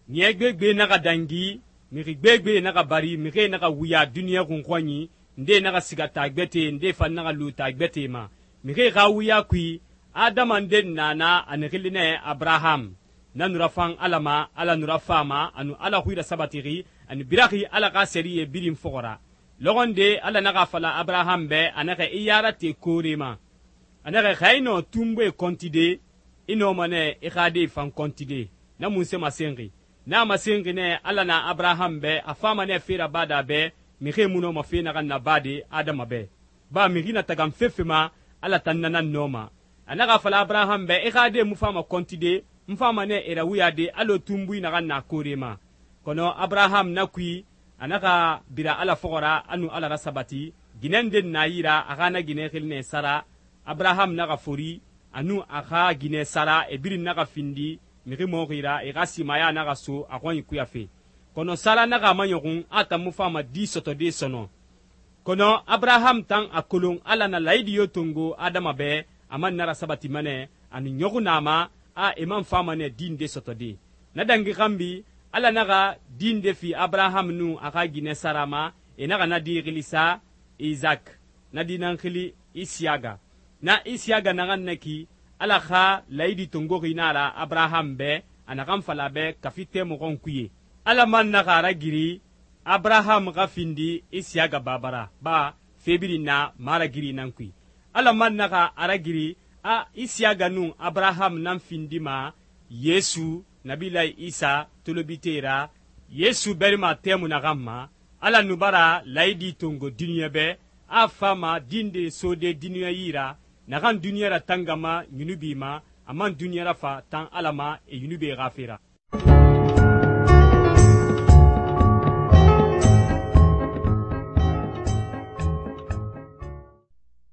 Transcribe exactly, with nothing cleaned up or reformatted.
Niya gbegbe naxa dangi, mixi gbegbe naxa bari, mixie naxa wuya duniya xunxɔnyi, nde naxa siga taa gbɛtɛe, nde fan naxa lu taa gbɛtɛe ma. Mixie xa wuya kui, Adama nden na na a nu xili nɛ Abraham. Na nu rafan Ala ma, Ala nu rafama, a nu Ala xui rasabatixi, a nu biraxi Ala xa sɛriyɛ birin fɔxɔ ra. Lɔxɔnde Ala naxa fala Abraham bɛ, a naxɛ i yarate koore ma. A naxɛ xa i nɔ tunboe kɔntide, i nɔma nɛ i xa de fan kɔntide. Na munse masenxi. Na masenxi nɛ Ala na Abraham bɛ, a fama nɛ fe rabada bɛ, mixie mu nɔma fe naxan nabade Adama bɛ. Ba mixi na tagan fefe ma, Ala tan na nan nɔma. A naxa fala Abraham bɛ, i xa de mu fama kɔntide, n fama nɛ e rawuyade alɔ tunbui naxan na koore ma. Kɔnɔ Abraham na kui, a naxa bira Ala fɔxɔ ra, a nu Ala rasabati. Ginɛ nden na yira, a xa na ginɛ xili nɛ Sara. Abraham naxa fori, a nu a xa ginɛ Sara, e birin naxa findi mixi mɔxi ra, e xa simaya naxa so a xɔnyi kuyafe. Kɔnɔ Sara naxa a maɲɔxun, a tan mu fama di sɔtɔde sɔnɔ. Kɔnɔ Abraham tan a kolon Ala na layidi yo tongo Adama bɛ, a man na rasabati manɛ, a nu ɲɔxu na ma, a e man fama nɛ di nde sɔtɔde. Na dangi xanbi, Ala naxa di nde fi Abraham nun a xa ginɛ Sara ma, e naxa na di xili sa Isaac, na di nan xili Isiyaga. Na Isiyaga naxan na ki, Ala xa layidi tongoxi na ra Abraham bɛ, a naxan fala bɛ kafi tɛmɔxɔn kuye. Ala man naxa a ragiri Abraham xa findi Isiyaga babara, ba fe birin na maragiri nan kui. Ala man naxa a ragiri a Isiyaga nun Abraham nan findi ma Yesu, Nabilahi Isa tolobite ra, Yesu berima tɛmu naxan ma, Ala nu bara layidi tongo duniya bɛ, a fama dinde sode duniya yi ra, naxan duniya ra tangama yunubi ma, a man duniya rafa tan Ala ma e yunube xa fera.